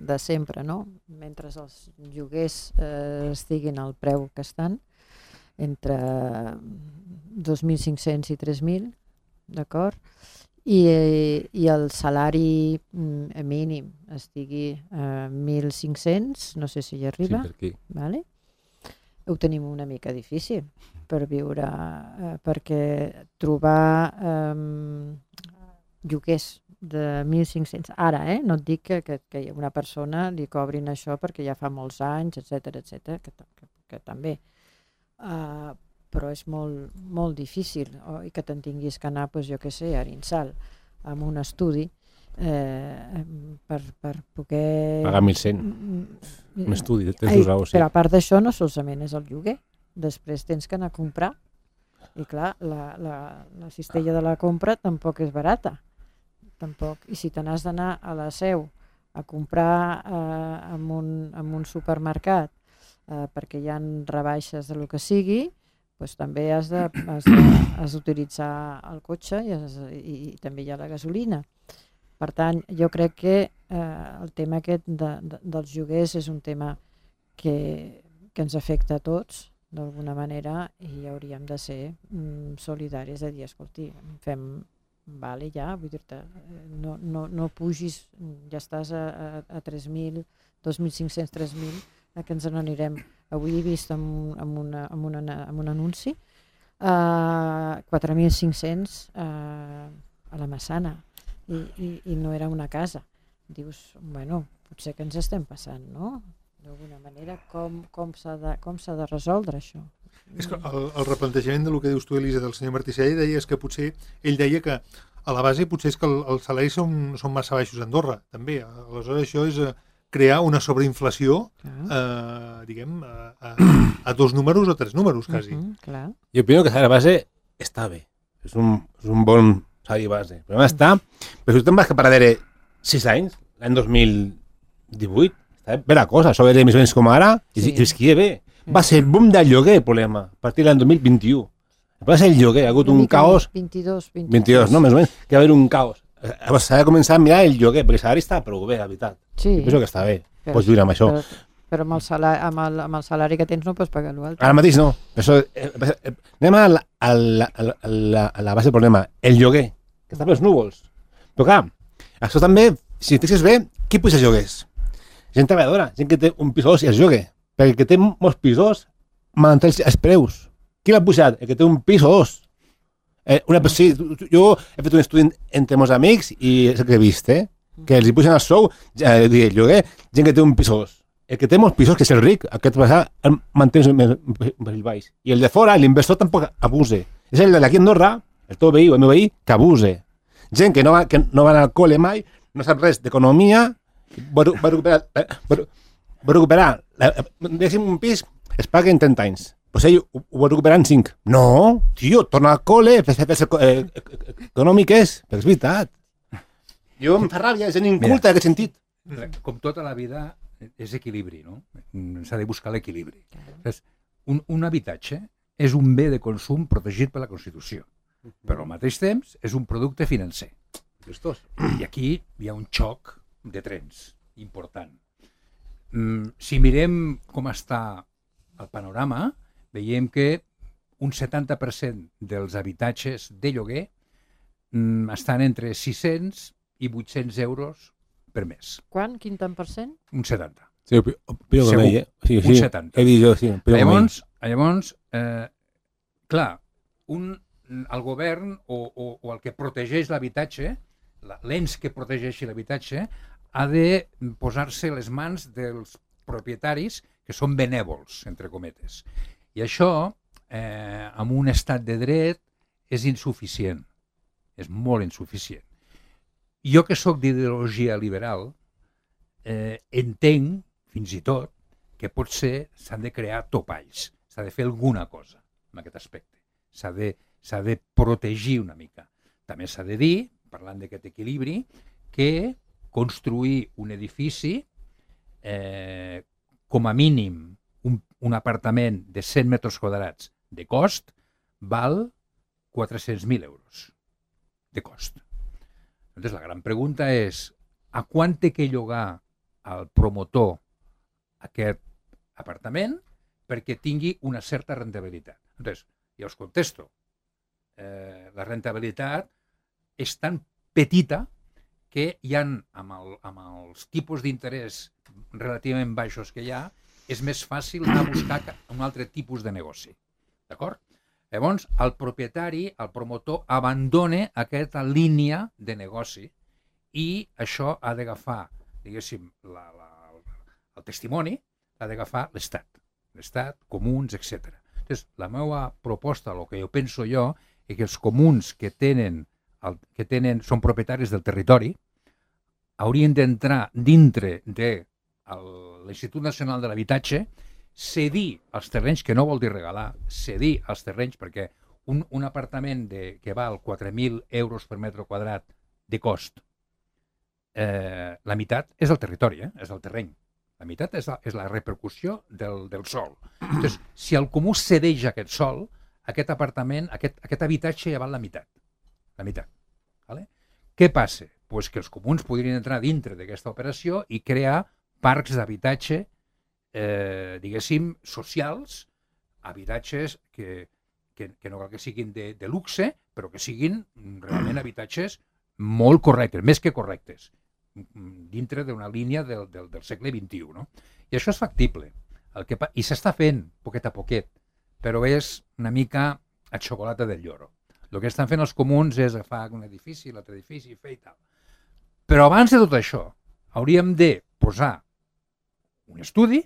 de sempre, no? Mentre els lloguers estiguin al preu que estan, entre 2.500 i 3.000, d'acord? I el salari mínim estigui a 1.500, no sé si hi arriba, Sí, per aquí. vale? Ho tenim una mica difícil per viure, perquè trobar lloguers de 1.500, ara, no et dic que una persona li cobrin això perquè ja fa molts anys, etc, que també, però és molt difícil, i que te'n tinguis que anar, jo què sé, a Arinsal, amb un estudi, per poder... Pagar 1.100, un estudi, tens 2 euros, sí. Però a part d'això no solament és el lloguer, després tens que anar a comprar, i clar, la cistella de la compra tampoc és barata, tampoc, i si te n'has d'anar a la Seu a comprar en un supermercat perquè hi ha rebaixes de lo que sigui, doncs també has d'utilitzar el cotxe i també hi ha la gasolina. Per tant, jo crec que el tema aquest dels lloguers és un tema que ens afecta a tots d'alguna manera, i hauríem de ser solidaris, de dir, escolti, fem, vale, ja, vull dir-te, no pugis, ja estàs a 3.000, 2.500, 3.000, que ens n'anirem. Avui he vist en un anunci 4.500 a la Massana, i no era una casa. Dius, bueno, potser que ens estem passant, no? D'alguna manera, com s'ha de resoldre això? És que el replantejament del que dius tu, Elisa, del senyor Martissell, deia que potser, ell deia que a la base potser és que els salaris són massa baixos a Andorra, també. Aleshores això és crear una sobreinflació, diguem, a 2 números o 3 números, quasi. Clar. Jo opino que la base està bé, és un bon salari base. El problema està, però si tu te'n vas cap a darrere 6 anys, l'any 2018, està bé la cosa, això era més o menys com ara, i es que bé. Va ser el boom del lloguer, el problema, a partir de l'any 2021. Va ser el lloguer, ha hagut un caos... 22, no, més o menys, que va haver un caos. S'ha de començar a mirar el lloguer, perquè el salari està prou bé, la veritat. Sí. Penso que està bé, pots viure amb això. Però amb el salari que tens no pots pagar l'altre. Ara mateix no. Anem a la base del problema, el lloguer, que està pels núvols. Però clar, això també, si fixes bé, qui puja els lloguers? Gent treballadora, gent que té un pis i es llogue. Perquè el que té molts pisos manté els preus. Qui l'ha pujat? El que té un pis o 2. Jo he fet un estudi entre meus amics i és el que he vist, que els hi pugen el sou, el lloguer, gent que té un pis o 2. El que té molts pisos, que és el ric, aquest manté més baix. I el de fora, l'inversor tampoc abuse. És el d'aquí a Andorra, el teu veí o el meu veí, que abuse. Gent que no va al col·le mai, no sap res d'economia, va recuperar, diguéssim, un pis, es paga en 30 anys. Pues ell ho va recuperar en 5. No, tio, torna al col·le, econòmic és, perquè és veritat. Jo em fa ràbia, és inculta en aquest sentit. Com tota la vida, és equilibri, no? S'ha de buscar l'equilibri. Un habitatge és un bé de consum protegit per la Constitució, però al mateix temps és un producte financer. I aquí hi ha un xoc de trens important. Si mirem com està el panorama, veiem que un 70% dels habitatges de lloguer estan entre 600 i 800 euros per mes. Quan? Quin tant per cent? Un 70. Sí, opino com ell, Sí, un 70. He dit jo, sí. Llavors, clar, el govern o el que protegeix l'habitatge, l'ens que protegeixi l'habitatge, ha de posar-se les mans dels propietaris que són benèvols, entre cometes. I això, en un estat de dret, és insuficient. És molt insuficient. Jo, que sóc d'ideologia liberal, entenc, fins i tot, que potser s'han de crear topalls. S'ha de fer alguna cosa en aquest aspecte. S'ha de protegir una mica. també s'ha de dir, parlant d'aquest equilibri, que construir un edifici, com a mínim un apartament de 100 metres quadrats de cost, val 400.000 euros de cost. Llavors, la gran pregunta és, a quant té que llogar al promotor aquest apartament perquè tingui una certa rentabilitat? Llavors, ja us contesto. La rentabilitat és tan petita que hi ha, amb els tipus d'interès relativament baixos que hi ha, és més fàcil anar a buscar un altre tipus de negoci. D'acord? Llavors, el propietari, el promotor, abandona aquesta línia de negoci i això ha d'agafar, diguéssim, el testimoni, ha d'agafar l'Estat. L'Estat, comuns, etc. Llavors, la meva proposta, el que jo penso jo, és que els comuns que són propietaris del territori haurien d'entrar dintre de l'Institut Nacional de l'Habitatge, cedir els terrenys, que no vol dir regalar, cedir els terrenys, perquè un apartament que val 4.000 euros per metre quadrat de cost, la meitat és el territori, és el terreny. La meitat és la repercussió del sòl. Llavors, si el comú cedeix aquest sòl, aquest apartament, aquest habitatge ja val la meitat. La meitat. Vale? Què passa? Pues que els comuns podrien entrar dintre d'aquesta operació i crear parcs d'habitatge, diguéssim, socials, habitatges que no cal que siguin de luxe, però que siguin realment habitatges molt correctes, més que correctes, dintre d'una línia del segle XXI. No? I això és factible. I s'està fent, poquet a poquet, però és una mica a xocolata del lloro. El que estan fent els comuns és agafar un edifici, l'altre edifici, fer i tal. Però abans de tot això, hauríem de posar un estudi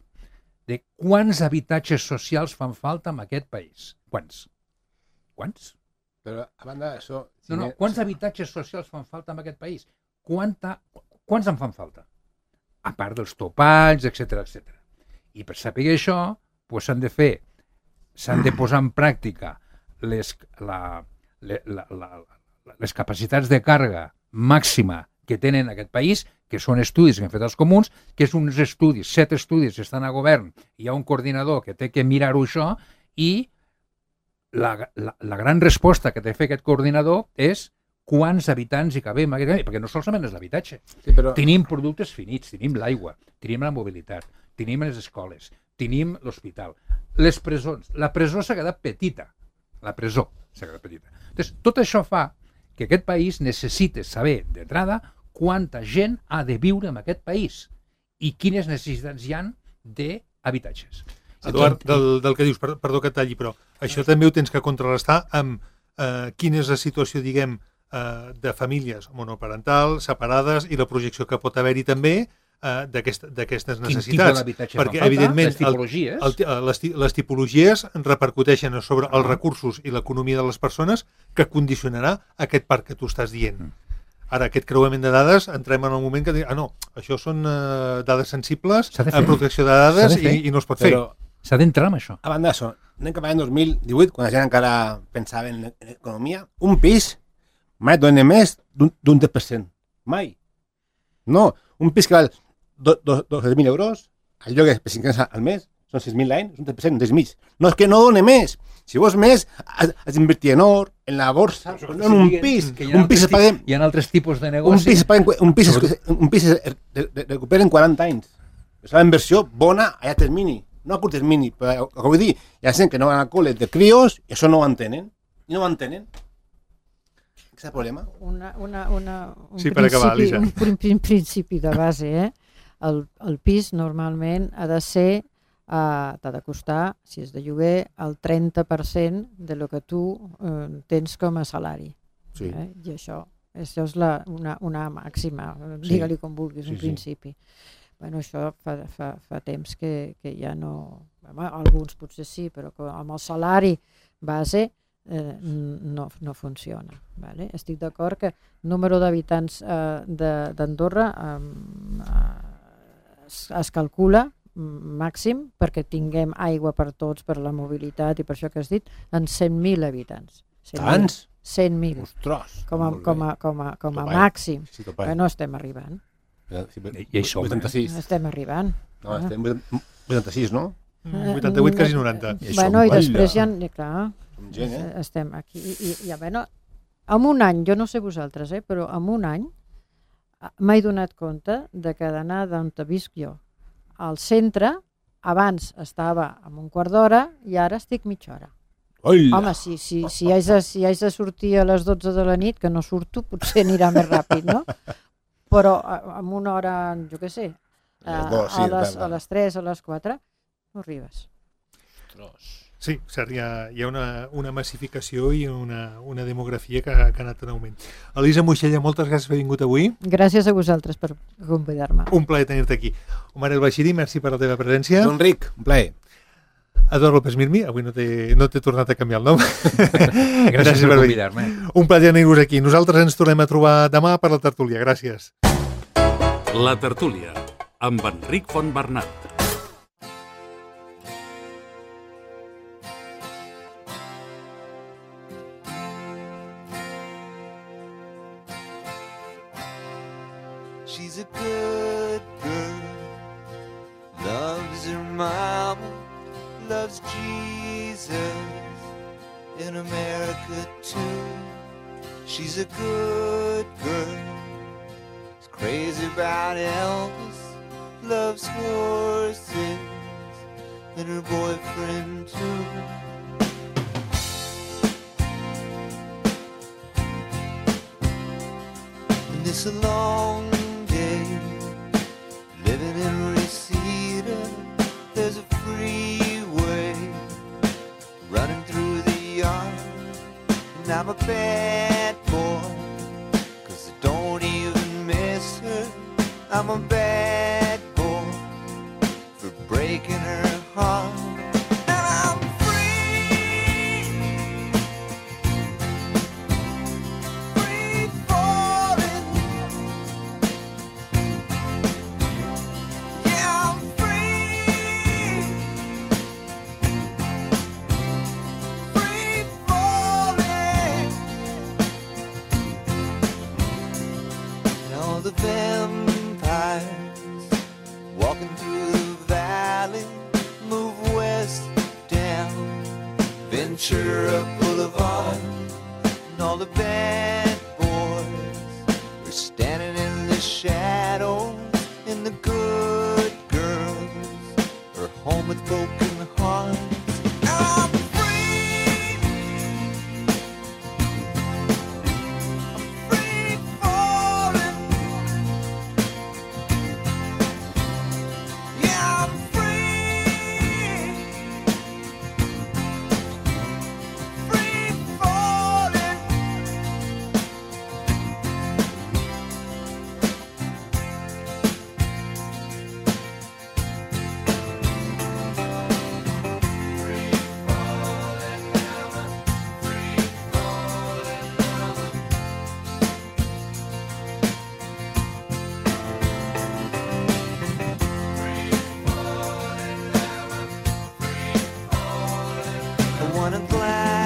de quants habitatges socials fan falta en aquest país. Quants? Però, a banda d'això... Quants habitatges socials fan falta en aquest país? Quants en fan falta? A part dels topalls, etc. I per saber això, s'han de posar en pràctica les capacitats de càrrega màxima que tenen en aquest país, que són estudis que han fet els comuns, que és uns estudis, 7 estudis que estan a govern, hi ha un coordinador que té que mirar-ho això, i la gran resposta que té fer aquest coordinador és quants habitants hi cabem, perquè no solament és l'habitatge. Sí, però... Tenim productes finits, tenim l'aigua, tenim la mobilitat, tenim les escoles, tenim l'hospital, les presons. La presó s'ha quedat petita. La presó s'ha quedat petita. Entonces, tot això fa que aquest país necessita saber d'entrada quanta gent ha de viure en aquest país i quines necessitats hi ha d'habitatges. Eduard, del que dius, perdó que et talli, però això també ho tens que contrarrestar amb quina és la situació, diguem, de famílies monoparentals, separades, i la projecció que pot haver-hi també d'aquestes necessitats. Quin tipus d'habitatge fan falta? Evidentment, les tipologies repercuteixen sobre els recursos i l'economia de les persones, que condicionarà aquest parc que tu estàs dient. Ara, aquest creuament de dades, entrem en el moment que no, això són dades sensibles, protecció de dades, i no es pot fer. Però s'ha d'entrar amb això. A banda d'això, anem cap en 2018, quan la gent encara pensava en economia, un pis mai dona més d'un 10%. Mai. No, un pis que val 12.000 euros, el lloguer per 5 anys al mes, són 6.000 l'any, és un 10%, un 10.000. No, és que no dona més. Si vols més, has d'invertir en or, en la borsa, no en un pis. Un pis es paga... Hi ha altres tipus de negoci. Un pis es recupera en 40 anys. És una inversió bona a llarg termini, no a curt termini. Però, com vull dir, hi ha gent que no van al col·le de crios i això no ho entenen. I no ho entenen. Què és el problema? Un principi de base, El pis normalment ha de ser, t'ha de costar, si és de lloguer, el 30% de lo que tu tens com a salari. Sí. I això és una màxima, digue-li com vulguis, un principi. Bueno, això fa temps que ja no... Alguns potser sí, però amb el salari base no funciona. Vale? Estic d'acord que el número d'habitants d'Andorra es calcula màxim perquè tinguem aigua per tots, per la mobilitat i per això que has dit, en 100.000 habitants. Tants? 100.000, Ostres! com a Topai. màxim, Sí, topai. que no estem arribant. I hi som, 86. No estem arribant. No, estem 86, no? 88, quasi 90. I Bueno, i som, després ja, clar, Som gent, estem aquí. I bueno, en un any, jo no sé vosaltres, però en un any m'he donat compte de que d'anar d'on visc jo al centre, abans estava en un quart d'hora i ara estic mitja hora. Hola. Home, si haig de sortir a les 12 de la nit, que no surto, potser anirà més ràpid, no? Però en una hora, jo què sé, a les 3, a les 4, no arribes. Sí, cert, hi ha una massificació i una demografia que ha anat en augment. Elisa Moixella, moltes gràcies per haver vingut avui. Gràcies a vosaltres per convidar-me. Un plaer tenir-te aquí. Omar El Bashiri, merci per la teva presència. Joan Ric, un plaer. Eduard López Mirmi, avui no t'he tornat a canviar el nom. Gràcies per convidar-me. Un plaer tenir-vos aquí. Nosaltres ens tornem a trobar demà per la tertúlia. Gràcies. La tertúlia, amb Enric Fontbernat. She's a good girl, loves her mama, loves Jesus, in America too. She's a good girl, is crazy about Elvis, loves horses, and her boyfriend too. And it's a long day living in Reseda. There's a freeway running through the yard, and I'm a bad boy, 'cause I don't even miss her. I'm a bad boy for breaking her heart. And I'm free, free falling. Yeah, I'm free, free falling. And all the vampires walking through the valley move west down Ventura Boulevard, and all the bad boys are standing in the shadows, and the good girls are home with broken hearts. I'm free, I'm free falling. Yeah, I'm free, free falling. Free falling now, free falling now. I want a glass